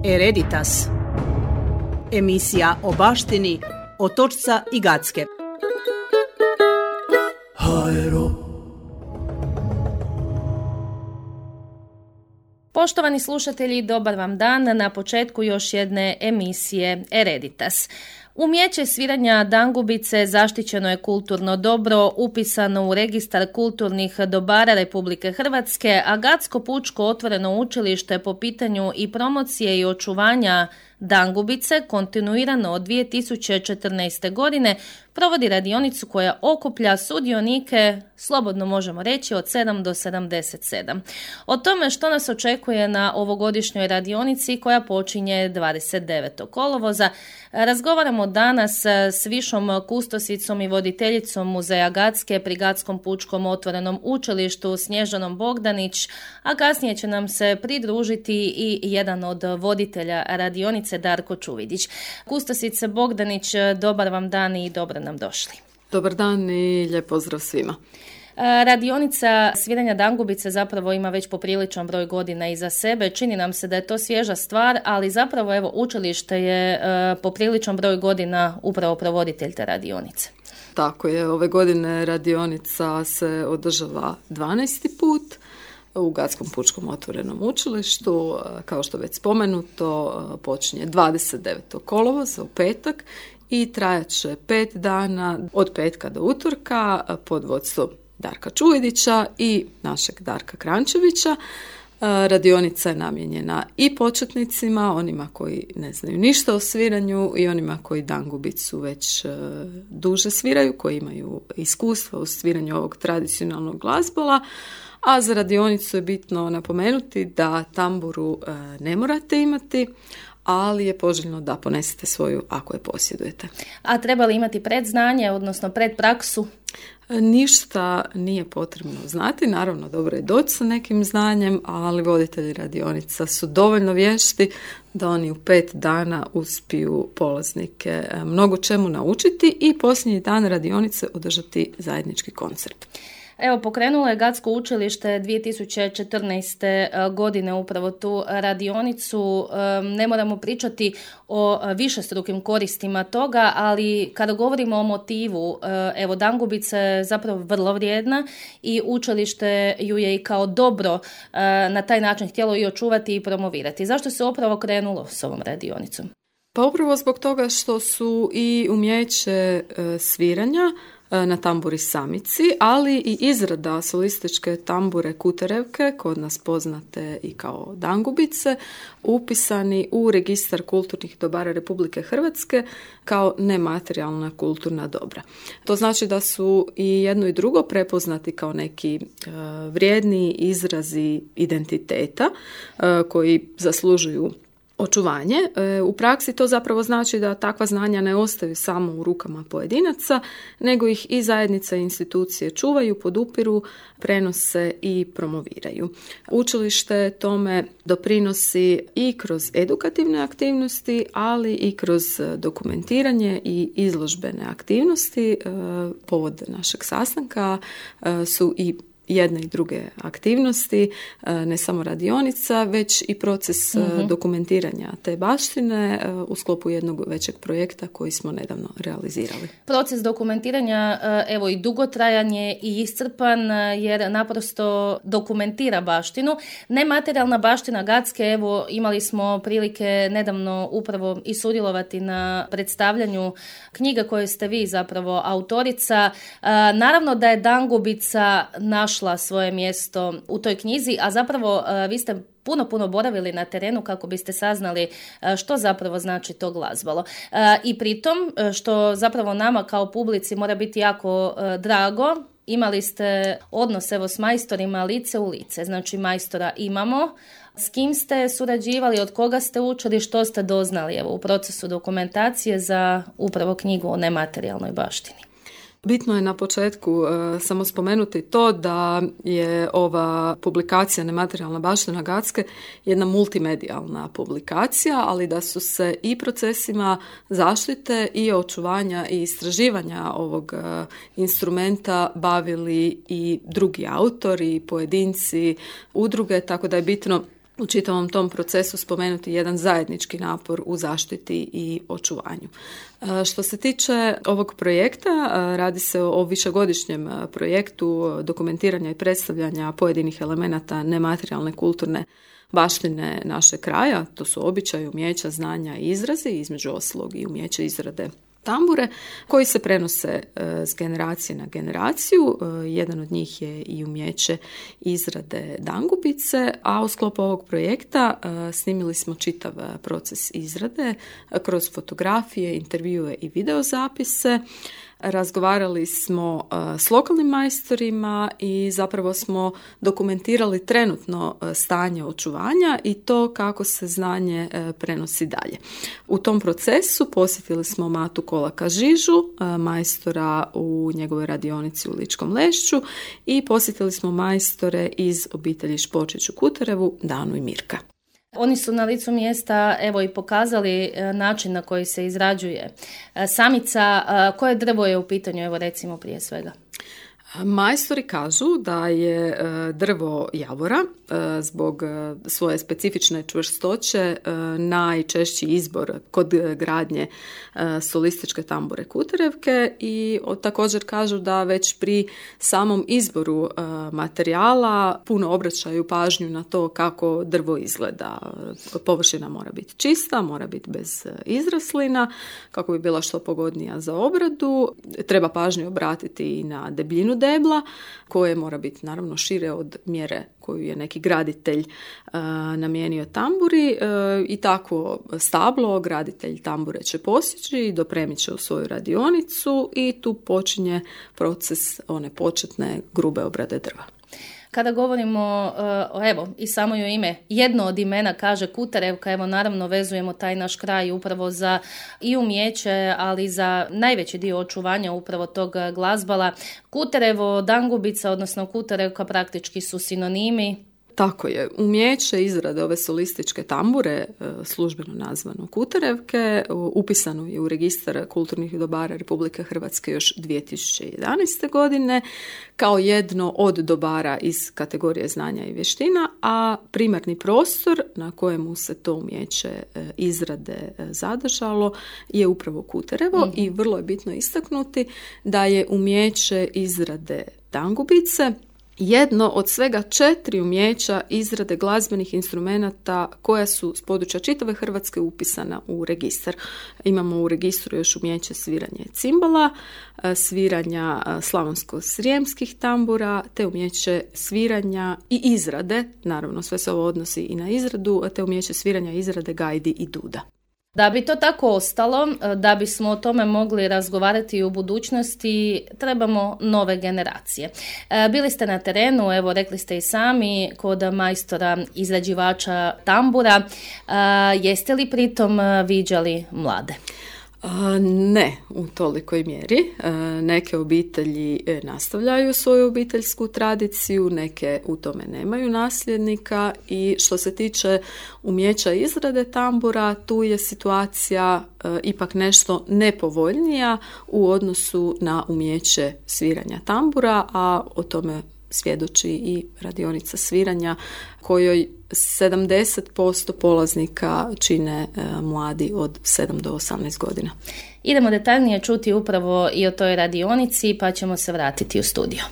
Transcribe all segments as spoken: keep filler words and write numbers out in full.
Hereditas. Emisija o baštini Otočca i Gacke. Aero. Poštovani slušatelji, dobar vam dan. Na početku još jedne emisije Hereditas. Umijeće sviranja dangubice zaštićeno je kulturno dobro, upisano u registar kulturnih dobara Republike Hrvatske, a Gacko pučko otvoreno učilište po pitanju i promocije i očuvanja dangubice kontinuirano od dvije tisuće četrnaeste. godine provodi radionicu koja okuplja sudionike, slobodno možemo reći, od sedam do sedamdeset sedam. O tome što nas očekuje na ovogodišnjoj radionici koja počinje dvadeset devetog kolovoza razgovaramo danas s višom kustosicom i voditeljicom Muzeja Gacke pri Gackom pučkom otvorenom učilištu Snježanom Bogdanić, a kasnije će nam se pridružiti i jedan od voditelja radionice, Darko Čuvidić. Kustosice Bogdanić, dobar vam dan i dobro nam došli. Dobar dan i lijep pozdrav svima. Radionica sviranja dangubice zapravo ima već popriličan broj godina iza sebe. Čini nam se da je to svježa stvar, ali zapravo evo učilište je popriličan broj godina upravo provoditelj te radionice. Tako je, ove godine radionica se održava dvanaesti put u Gackom pučkom otvorenom učilištu. Kao što već spomenuto, počinje dvadeset devetog kolovoza u petak i trajat će pet dana od petka do utorka pod vodstvom Darka Čuvidića i našeg Darka Krančevića. Radionica je namijenjena i početnicima, onima koji ne znaju ništa o sviranju i onima koji dangubicu već duže sviraju, koji imaju iskustva u sviranju ovog tradicionalnog glazbola. A za radionicu je bitno napomenuti da tamburu ne morate imati, ali je poželjno da ponesete svoju ako je posjedujete. A treba li imati predznanje, odnosno predpraksu? Ništa nije potrebno znati, naravno dobro je doći sa nekim znanjem, ali voditelji radionica su dovoljno vješti da oni u pet dana uspiju polaznike mnogo čemu naučiti i posljednji dan radionice održati zajednički koncert. Evo, pokrenulo je Gacko učilište dvije tisuće četrnaeste. godine upravo tu radionicu. Ne moramo pričati o višestrukim koristima toga, ali kada govorimo o motivu, evo, dangubica je zapravo vrlo vrijedna i učilište ju je i kao dobro na taj način htjelo i očuvati i promovirati. Zašto se upravo krenulo s ovom radionicom? Pa upravo zbog toga što su i umjeće sviranja na tamburi samici, ali i izrada solističke tambure kuterevke, kod nas poznate i kao dangubice, upisani u registar kulturnih dobara Republike Hrvatske kao nematerijalna kulturna dobra. To znači da su i jedno i drugo prepoznati kao neki uh, vrijedni izrazi identiteta uh, koji zaslužuju očuvanje. U praksi to zapravo znači da takva znanja ne ostaju samo u rukama pojedinaca, nego ih i zajednica i institucije čuvaju, podupiru, prenose i promoviraju. Učilište tome doprinosi i kroz edukativne aktivnosti, ali i kroz dokumentiranje i izložbene aktivnosti. Povod našeg sastanka su i jedne i druge aktivnosti, ne samo radionica, već i proces uh-huh. dokumentiranja te baštine u sklopu jednog većeg projekta koji smo nedavno realizirali. Proces dokumentiranja, evo, i dugotrajan je i iscrpan jer naprosto dokumentira baštinu. Nematerijalna baština Gacke, evo, imali smo prilike nedavno upravo i sudjelovati na predstavljanju knjiga koje ste vi zapravo autorica. Naravno da je dangubica našla svoje mjesto u toj knjizi, a zapravo vi ste puno, puno boravili na terenu kako biste saznali što zapravo znači to glazbalo. I pritom, što zapravo nama kao publici mora biti jako drago, imali ste odnos evo s majstorima lice u lice. Znači majstora imamo. S kim ste surađivali, od koga ste učili, što ste doznali evo u procesu dokumentacije za upravo knjigu o nematerijalnoj baštini? Bitno je na početku uh, samo spomenuti to da je ova publikacija Nematerijalna baština Gacke jedna multimedijalna publikacija, ali da su se i procesima zaštite i očuvanja i istraživanja ovog uh, instrumenta bavili i drugi autori, pojedinci, udruge, tako da je bitno u čitavom tom procesu spomenuti jedan zajednički napor u zaštiti i očuvanju. Što se tiče ovog projekta, radi se o višegodišnjem projektu dokumentiranja i predstavljanja pojedinih elemenata nematerijalne kulturne baštine našeg kraja. To su običaji, umijeća, znanja i izrazi, između ostalog i umijeće izrade tambure, koji se prenose s generacije na generaciju. Jedan od njih je i umijeće izrade dangubice, a u sklopu ovog projekta snimili smo čitav proces izrade kroz fotografije, intervjue i videozapise. Razgovarali smo uh, s lokalnim majstorima i zapravo smo dokumentirali trenutno uh, stanje očuvanja i to kako se znanje uh, prenosi dalje. U tom procesu posjetili smo Matu Kolaka Žižu, uh, majstora u njegovoj radionici u Ličkom Lešću, i posjetili smo majstore iz obitelji Špočić u Kuterevu, Danu i Mirka. Oni su na licu mjesta evo i pokazali način na koji se izrađuje samica. Koje drvo je u pitanju, evo recimo prije svega? Majstori kažu da je drvo javora zbog svoje specifične čvrstoće najčešći izbor kod gradnje solističke tambure Kuterevke, i također kažu da već pri samom izboru materijala puno obraćaju pažnju na to kako drvo izgleda. Površina mora biti čista, mora biti bez izraslina kako bi bila što pogodnija za obradu. Treba pažnju obratiti i na debljinu debla, koje mora biti naravno šire od mjere koju je neki graditelj uh, namijenio tamburi, uh, i takvo stablo graditelj tambure će posjeći i dopremit će u svoju radionicu, i tu počinje proces one početne grube obrade drva. Kada govorimo, evo, i samo joj ime, jedno od imena kaže Kuterevka, evo naravno vezujemo taj naš kraj upravo za i umijeće, ali za najveći dio očuvanja upravo tog glazbala. Kuterevo, dangubica, odnosno Kuterevka praktički su sinonimi. Tako je. Umijeće izrade ove solističke tambure, službeno nazvano Kuterevke, upisano je u registar kulturnih dobara Republike Hrvatske još dvije tisuće jedanaeste. godine kao jedno od dobara iz kategorije znanja i vještina, a primarni prostor na kojemu se to umijeće izrade zadržalo je upravo Kuterevo, mm-hmm. i vrlo je bitno istaknuti da je umijeće izrade dangubice jedno od svega četiri umijeća izrade glazbenih instrumenata koja su s područja čitave Hrvatske upisana u registar. Imamo u registru još umijeće sviranja cimbala, sviranja slavonsko-srijemskih tambura, te umijeće sviranja i izrade, naravno sve se ovo odnosi i na izradu, te umijeće sviranja, izrade gajdi i duda. Da bi to tako ostalo, da bismo o tome mogli razgovarati i u budućnosti, trebamo nove generacije. Bili ste na terenu, evo rekli ste i sami, kod majstora izrađivača tambura. Jeste li pritom viđali mlade? Ne, u tolikoj mjeri. Neke obitelji nastavljaju svoju obiteljsku tradiciju, neke u tome nemaju nasljednika, i što se tiče umijeća izrade tambura, tu je situacija ipak nešto nepovoljnija u odnosu na umijeće sviranja tambura, a o tome svjedoči i radionica sviranja kojoj sedamdeset posto polaznika čine e, mladi od sedam do osamnaest godina. Idemo detaljnije čuti upravo i o toj radionici, pa ćemo se vratiti u studio.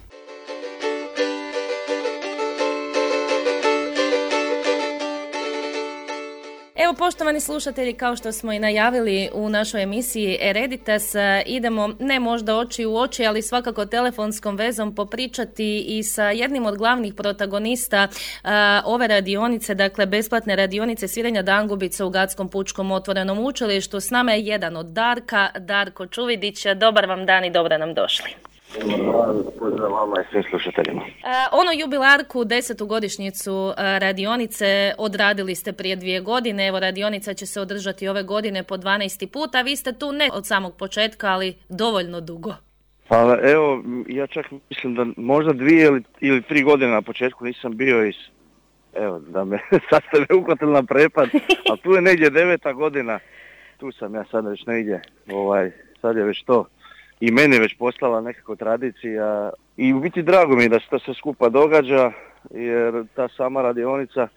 Evo, poštovani slušatelji, kao što smo i najavili u našoj emisiji Ereditas, idemo ne možda oči u oči, ali svakako telefonskom vezom popričati i sa jednim od glavnih protagonista uh, ove radionice, dakle besplatne radionice sviranja dangubice u Gatskom pučkom otvorenom učilištu. S nama je jedan od Darka, Darko Čuvidić. Dobar vam dan i dobro nam došli. Pozdrav vama i svim slušateljima. Ono jubilarku, desetu godišnjicu radionice odradili ste prije dvije godine. Evo, radionica će se održati ove godine po dvanaesti puta. Vi ste tu ne od samog početka, ali dovoljno dugo. Pa evo, ja čak mislim da možda dvije ili, ili tri godine na početku nisam bio iz... Evo, da me sad ste me uhvatili na prepad, a tu je negdje deveta godina. Tu sam ja sad već negdje, ovaj, sad je već to. I meni već postala nekako tradicija i u biti drago mi je da se to sve skupa događa, jer ta sama radionica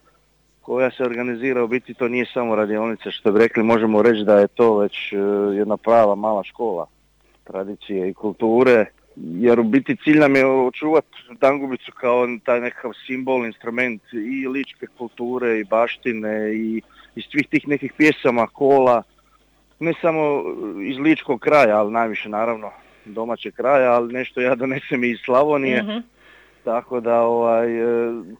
koja se organizira, u biti to nije samo radionica, što bi rekli, možemo reći da je to već jedna prava mala škola tradicije i kulture, jer u biti cilj nam je očuvati Dangubicu kao taj nekakav simbol, instrument i ličke kulture i baštine i iz svih tih nekih pjesama, kola, ne samo iz ličkog kraja, ali najviše naravno domaćeg kraja, ali nešto ja donesem i iz Slavonije. Mm-hmm. Tako da ovaj,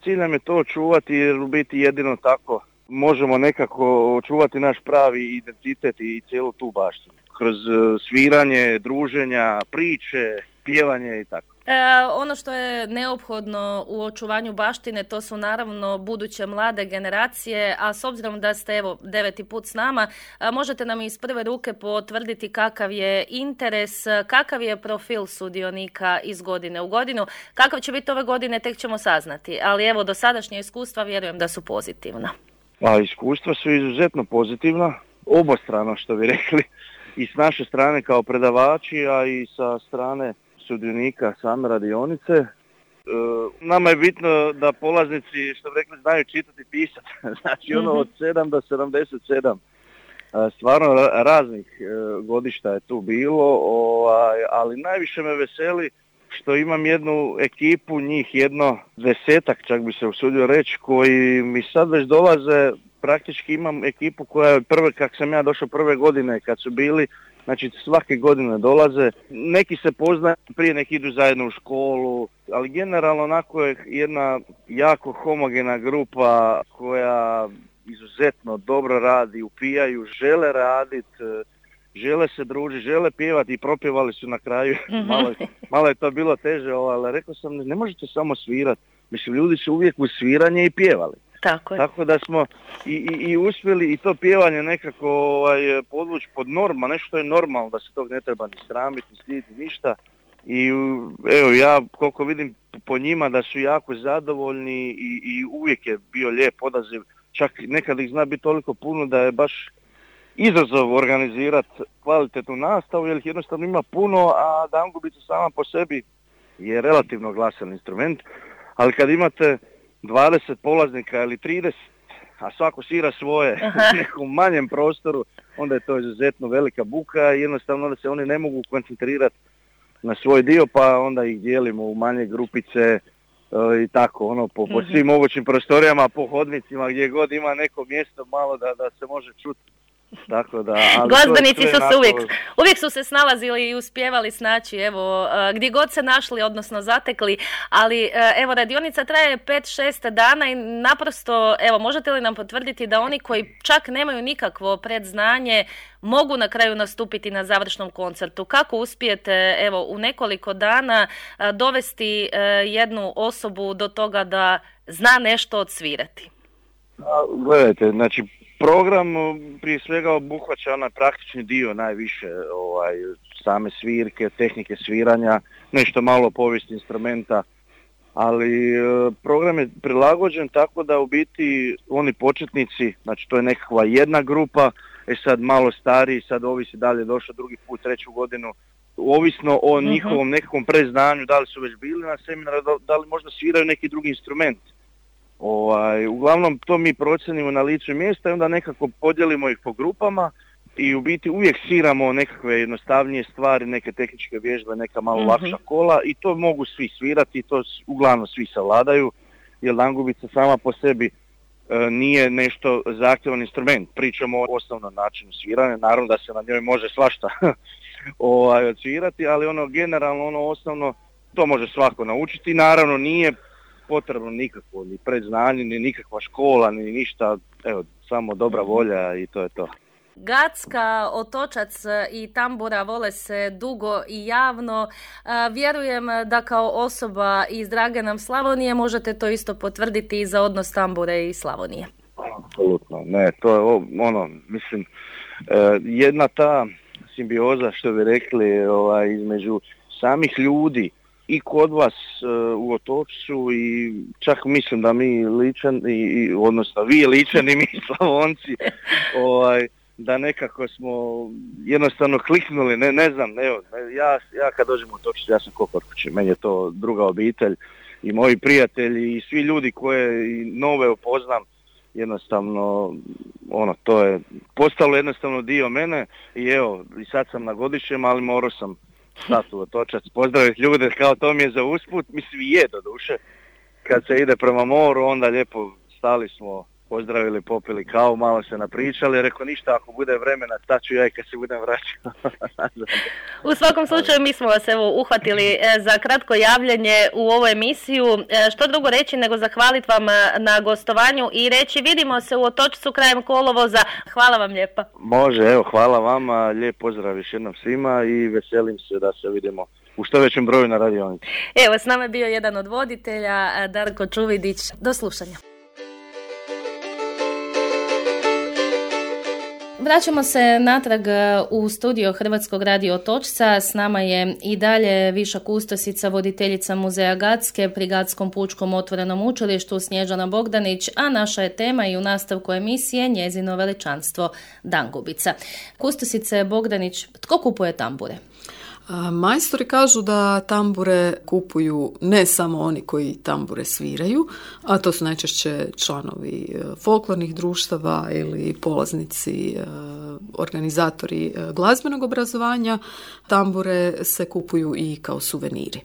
cilj nam je to očuvati, jer u biti jedino tako možemo nekako očuvati naš pravi identitet i cijelu tu baštinu. Kroz sviranje, druženja, priče, pjevanje i tako. E, ono što je neophodno u očuvanju baštine, to su naravno buduće mlade generacije, a s obzirom da ste evo deveti put s nama, a, možete nam iz prve ruke potvrditi kakav je interes, kakav je profil sudionika iz godine u godinu. Kakav će biti ove godine, tek ćemo saznati, ali evo dosadašnja iskustva vjerujem da su pozitivna. Pa iskustva su izuzetno pozitivna, obostrano što bi rekli, i s naše strane kao predavači, a i sa strane sudionika same radionice. E, nama je bitno da polaznici, što bi rekli, znaju čitati i pisati. Znači ono od sedam do sedamdeset sedam. E, stvarno raznih e, godišta je tu bilo, ovaj, ali najviše me veseli što imam jednu ekipu, njih jedno desetak, čak bi se usudio reći, koji mi sad već dolaze. Praktički imam ekipu koja je prve, kak sam ja došao prve godine kad su bili, znači svake godine dolaze, neki se poznaju, prije neki idu zajedno u školu, ali generalno onako je jedna jako homogena grupa koja izuzetno dobro radi, upijaju, žele raditi, žele se družiti, žele pjevati i propjevali su na kraju. malo, malo je to bilo teže, ali rekao sam, ne možete samo svirati. Mislim, ljudi su uvijek u sviranje i pjevali. Tako, Tako da smo i, i, i uspjeli i to pjevanje nekako ovaj, podvući pod norma, nešto je normalno, da se tog ne treba ni sramiti, ni stiditi, ništa. I evo, ja koliko vidim po njima da su jako zadovoljni i, i uvijek je bio lijep odaziv. Čak nekad ih zna biti toliko puno da je baš izazov organizirati kvalitetnu nastavu, jer ih jednostavno ima puno, a Dangubica sama po sebi je relativno glasan instrument, ali kad imate dvadeset polaznika ili trideset, a svako svira svoje u nekom manjem prostoru, onda je to izuzetno velika buka i jednostavno onda se oni ne mogu koncentrirati na svoj dio, pa onda ih dijelimo u manje grupice uh, i tako, ono, po, po svim mogućim prostorijama, po hodnicima, gdje god ima neko mjesto malo da, da se može čuti. Tako da, ali glazbenici su se uvijek, uvijek su se snalazili i uspijevali snaći, evo, gdje god se našli, odnosno zatekli, ali evo, radionica traje pet šest dana i naprosto, evo, možete li nam potvrditi da oni koji čak nemaju nikakvo predznanje mogu na kraju nastupiti na završnom koncertu? Kako uspijete, evo, u nekoliko dana dovesti jednu osobu do toga da zna nešto odsvirati? Gledajte, znači, program prije svega obuhvaća onaj praktični dio najviše, ovaj, same svirke, tehnike sviranja, nešto malo povijesti instrumenta, ali program je prilagođen tako da u biti oni početnici, znači to je nekakva jedna grupa, e sad malo stariji, sad ovisi da li je došao drugi put, treću godinu, ovisno o njihovom nekakvom preznanju, da li su već bili na seminaru, da li možda sviraju neki drugi instrument. Ovaj, uglavnom to mi procenimo na licu mjesta i onda nekako podijelimo ih po grupama i u biti uvijek sviramo nekakve jednostavnije stvari, neke tehničke vježbe, neka malo mm-hmm. lakša kola i to mogu svi svirati i to uglavnom svi savladaju, jer Dangubica sama po sebi e, nije nešto zahtjevan instrument. Pričamo o osnovnom načinu sviranja, naravno da se na njoj može svašta ovaj, odsvirati, ali ono generalno, ono osnovno, to može svako naučiti, naravno nije potrebno nikakvo, ni predznanje, ni nikakva škola, ni ništa, evo, samo dobra volja i to je to. Gacka, Otočac i tambura vole se dugo i javno. Vjerujem da kao osoba iz drage nam Slavonije možete to isto potvrditi i za odnos tambure i Slavonije. Apsolutno, ne, to je ono, mislim, jedna ta simbioza, što bi rekli, ovaj, između samih ljudi i kod vas uh, u Otočcu i čak mislim da mi Ličani, i, odnosno vi Ličani i mi Slavonci, ovaj, da nekako smo jednostavno kliknuli, ne, ne znam, evo, ja, ja kad dođem u Otočcu, ja sam ko kod kuće, meni je to druga obitelj i moji prijatelji i svi ljudi koje i nove upoznam, jednostavno, ono, to je postalo jednostavno dio mene i evo, i sad sam na godišnjem, ali morao sam stati u Otočac, pozdraviti ljude, kao to mi je za usput, mislim je do duše, kad se ide prema moru, onda lijepo stali smo, pozdravili, popili kavu, malo se napričali, rekao ništa, ako bude vremena, staću ja i kad se budem vraćao. U svakom slučaju mi smo vas evo uhvatili za kratko javljanje u ovu emisiju. Što drugo reći nego zahvaliti vam na gostovanju i reći vidimo se u Otočcu krajem kolovoza. Hvala vam lijepa. Može, evo, hvala vama, lijep pozdrav još jednom svima i veselim se da se vidimo u što većem broju na radionici. Evo, s nama je bio jedan od voditelja, Darko Čuvidić. Do slušanja. Vraćamo se natrag u studio Hrvatskog radio Otočca. S nama je i dalje viša kustosica, voditeljica muzeja Gacke pri Gatskom pučkom otvorenom učilištu Snježana Bogdanić, a naša je tema i u nastavku emisije njezino veličanstvo Dangubica. Kustosice Bogdanić, tko kupuje tambure? Majstori kažu da tambure kupuju ne samo oni koji tambure sviraju, a to su najčešće članovi folklornih društava ili polaznici, organizatori glazbenog obrazovanja. Tambure se kupuju i kao suveniri.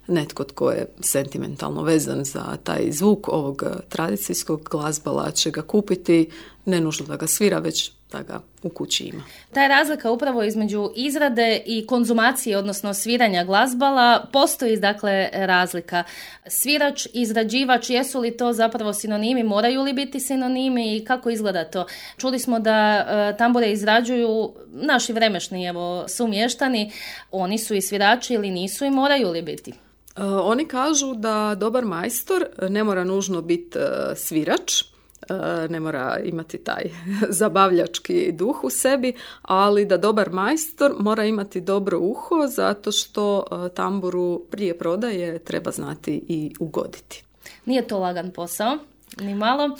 Netko tko je sentimentalno vezan za taj zvuk ovog tradicijskog glazbala će ga kupiti, ne nužno da ga svira, već da ga u kući ima. Ta je razlika upravo između izrade i konzumacije, odnosno sviranja glazbala. Postoji dakle razlika. Svirač, izrađivač, jesu li to zapravo sinonimi, moraju li biti sinonimi i kako izgleda to? Čuli smo da e, tambure izrađuju naši vremešni evo, sumještani, oni su i svirači ili nisu i moraju li biti? E, oni kažu da dobar majstor ne mora nužno biti e, svirač, ne mora imati taj zabavljački duh u sebi, ali da dobar majstor mora imati dobro uho zato što tamburu prije prodaje treba znati i ugoditi. Nije to lagan posao. Ni malo.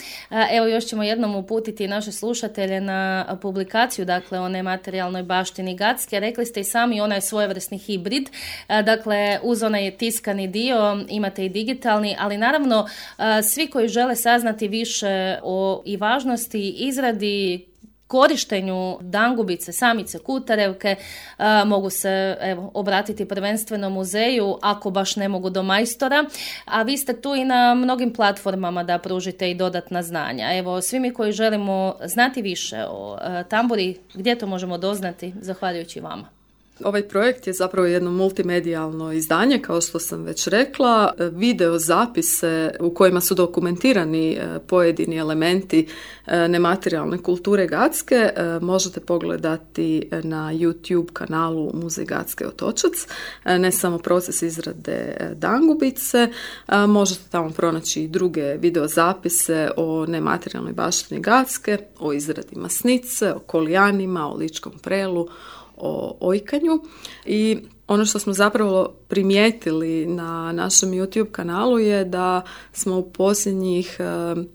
Evo još ćemo jednom uputiti naše slušatelje na publikaciju, dakle o nematerijalnoj baštini Gacke. Rekli ste i sami, ona je svojevrsni hibrid, dakle uz onaj tiskani dio imate i digitalni, ali naravno svi koji žele saznati više o i važnosti izradi, korištenju dangubice, samice, kutarevke, a, mogu se evo, obratiti prvenstveno muzeju ako baš ne mogu do majstora, a vi ste tu i na mnogim platformama da pružite i dodatna znanja. Evo, svi mi koji želimo znati više o a, tamburi, gdje to možemo doznati, zahvaljujući vama? Ovaj projekt je zapravo jedno multimedijalno izdanje, kao što sam već rekla, video zapise u kojima su dokumentirani pojedini elementi nematerijalne kulture Gacke možete pogledati na YouTube kanalu Muzej Gacke Otočac. Ne samo proces izrade dangubice, možete tamo pronaći i druge video zapise o nematerijalnoj baštini Gacke, o izradi masnice, o kolijanima, o ličkom prelu, o ojkanju i ono što smo zapravo primijetili na našem YouTube kanalu je da smo u posljednjih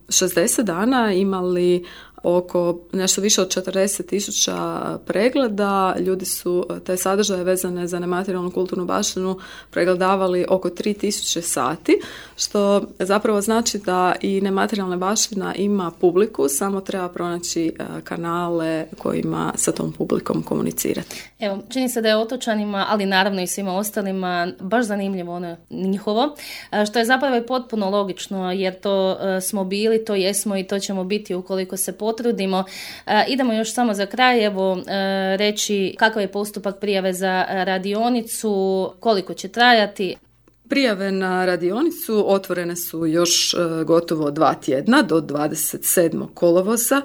šezdeset dana imali oko nešto više od četrdeset tisuća pregleda. Ljudi su te sadržaje vezane za nematerijalnu kulturnu baštinu pregledavali oko tri tisuće sati, što zapravo znači da i nematerijalna baština ima publiku, samo treba pronaći kanale kojima sa tom publikom komunicirati. Evo, čini se da je otočanima, ali naravno i svima ostalima, baš zanimljivo ono njihovo, što je zapravo i potpuno logično, jer to smo bili, to jesmo i to ćemo biti ukoliko se potrudimo. E, idemo još samo za kraj, evo, e, reći kakav je postupak prijave za radionicu, koliko će trajati. Prijave na radionicu otvorene su još e, gotovo dva tjedna do dvadeset sedmog kolovoza.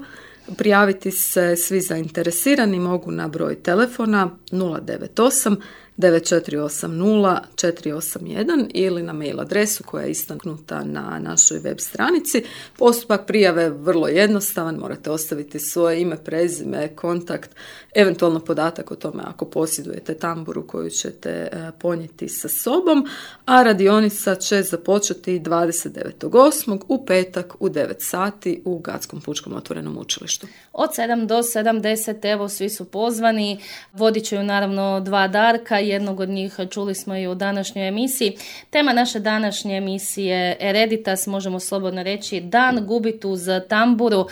Prijaviti se svi zainteresirani mogu na broj telefona nula devet osam devet četiri osam nula četiri osam jedan ili na mail adresu koja je istaknuta na našoj web stranici. Postupak prijave je vrlo jednostavan, morate ostaviti svoje ime, prezime, kontakt, eventualno podatak o tome ako posjedujete tamburu koju ćete ponijeti sa sobom, a radionica će započeti dvadeset devetog osmog u petak u devet sati u Gatskom pučkom otvorenom učilištu. Od sedam do sedamdeset, evo, svi su pozvani, vodit će ju naravno dva Darka, jednog od njih čuli smo i u današnjoj emisiji. Tema naše današnje emisije Ereditas, možemo slobodno reći, dan gubit uz tamburu.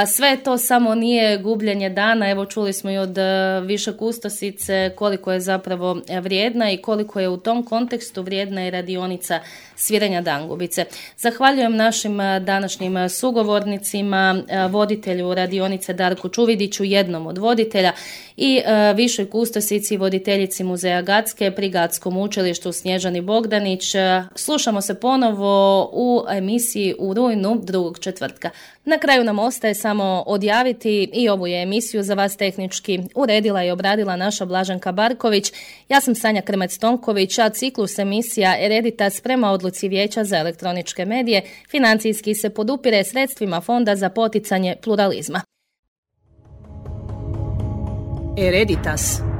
Sve to samo nije gubljenje dana, evo čuli smo i od više kustosice koliko je zapravo vrijedna i koliko je u tom kontekstu vrijedna i radionica sviranja dangubice. Zahvaljujem našim današnjim sugovornicima, voditelju radionice Darku Čuvidiću, jednom od voditelja, i višoj kustosici i voditeljici Muzeja Gacke pri Gatskom učilištu Snježani Bogdanić. Slušamo se ponovo u emisiji u rujnu drugog četvrtka. Na kraju nam ostaje samo odjaviti i ovu je emisiju za vas tehnički uredila i obradila naša Blaženka Barković. Ja sam Sanja Krmec-Tonković, a ciklus emisija Ereditas prema odluci Vijeća za elektroničke medije financijski se podupire sredstvima Fonda za poticanje pluralizma. Ereditas.